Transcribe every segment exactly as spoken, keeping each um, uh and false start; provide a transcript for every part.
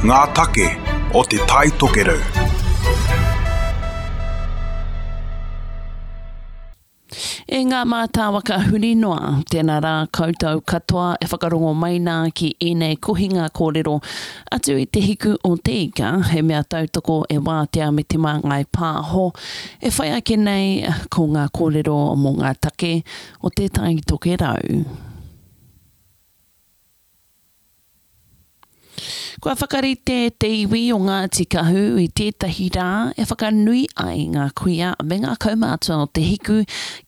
Ngā take o Te Tai Tokerau. E ngā mātāwaka huri noa, tēnā rā koutou katoa e whakarongo mai nā ki ēnei kohinga kōrero atu i te hiku o te ika, he mea tautoko e Wātea me Te Māngai Pāho, e whai ake nei ko ngā kōrero mō ngā take o Te Tai Tokerau. Kua whakarite te iwi o Ngāti Kahu i tētahi rā e whakanui ai ngā kuia me ngā kaumātua o Te Hiku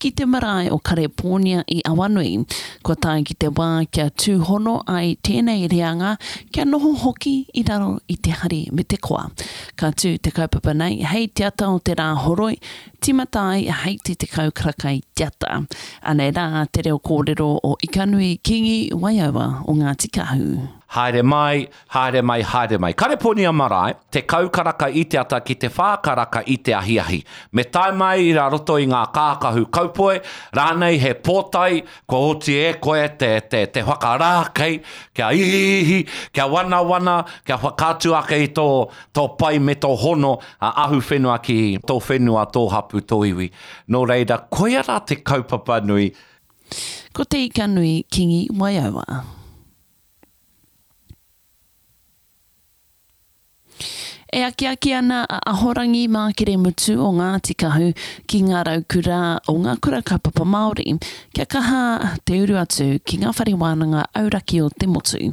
ki te marae o Karepōnia i Awanui. Kua tae ki te wā kia tūhono ai tēnei reanga kia noho hoki i raro i te hari me te koa. Ka tū te kaupapa nei hei te ata o te Rāhoroi, tīmata ai hei te tekau karaka i te ata. Anei rā te reo kōrero o Ikanui Kingi Waiaua o Ngāti Kahu. Haere mai, haere mai, haere mai. Kareponia marae, tekau karaka i te ata ki te whā karaka i te ahiahi. Me tae mai rā roto i ngā kākahu kaupoe, rānei he pōtae, kua oti e koe te, te, te whakarākei, kia ihiihi, kia wanawana, kia whakaatu ake i tō, tō pai me tō hono a ahu whenua ki tō whenua, tō hapu, tō iwi. Nō reira, koia rā te kaupapa nui. Ko Te Ikanui Kingi Waiaua. E akiaki ana a Ahorangi Mākeremutu o Ngāti Kahu ki ngā raukura o ngā kura kaupapa Māori kia kaha te uru atu ki ngā whare wānanga auraki o te motu.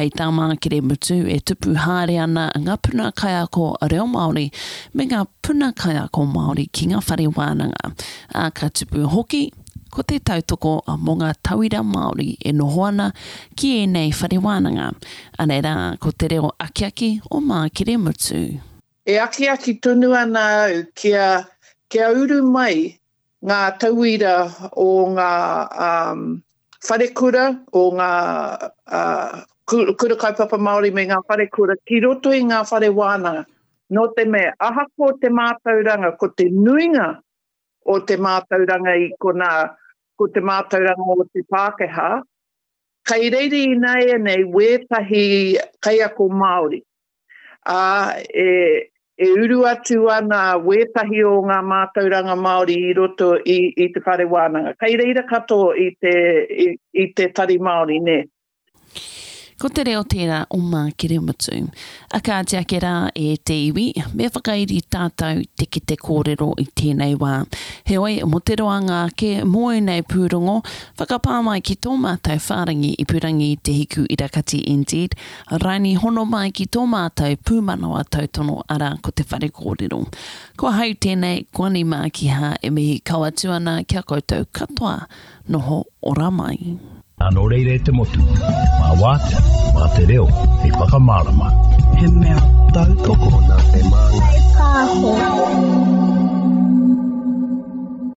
Hei tā Mākeremutu e tupu haere ana ngā puna kaiako reo Māori me ngā puna kaiako Māori ki ngā whare wānanga, ā, ka tupu hoki ko te tautoko mō ngā tauira Māori e noho ana ki ēnei whare wānanga. Anei rā, ko te reo akiaki o Mākeremutu. E akiaki tonu ana au kia, kia uru mai ngā tauira o ngā um, wharekura, o ngā uh, kura kaupapa Māori me ngā wharekura ki roto i ngā whare wānanga. Nō te mea, ahakoa te mātauranga, ko te nuinga o te mātauranga i konā, ko te mātauranga o te Pākehā, kei reira ināianei wētahi kaiako Māori. Ā, e, e uru atu ana wētahi o ngā mātauranga Māori i roto i, i te whare wānanga. Kei reira katoa i te, i, i te tari Māori, nē. Ko te reo tērā o Mākeremutu. A kāti ake rā e te iwi, me whakairi tātou te kete kōrero i tēnei wā. Heoi, mō te roanga ake mō ēnei pūrongo, whakapā mai ki tō mātou whārangi ipurangi Te Hiku Irakati N Z, raini hono mai ki tō mātou pūmanawa tautono arā ko te whare kōrero. Ko ahau tēnei, Gwani Mākiha e mihi kau atu ana ki a koutou katoa, noho ora mai. Nō reira e te motu, mā Wātea, mā te reo, hei whakamārama. He mea tautoko nā Te Māngai Pāho.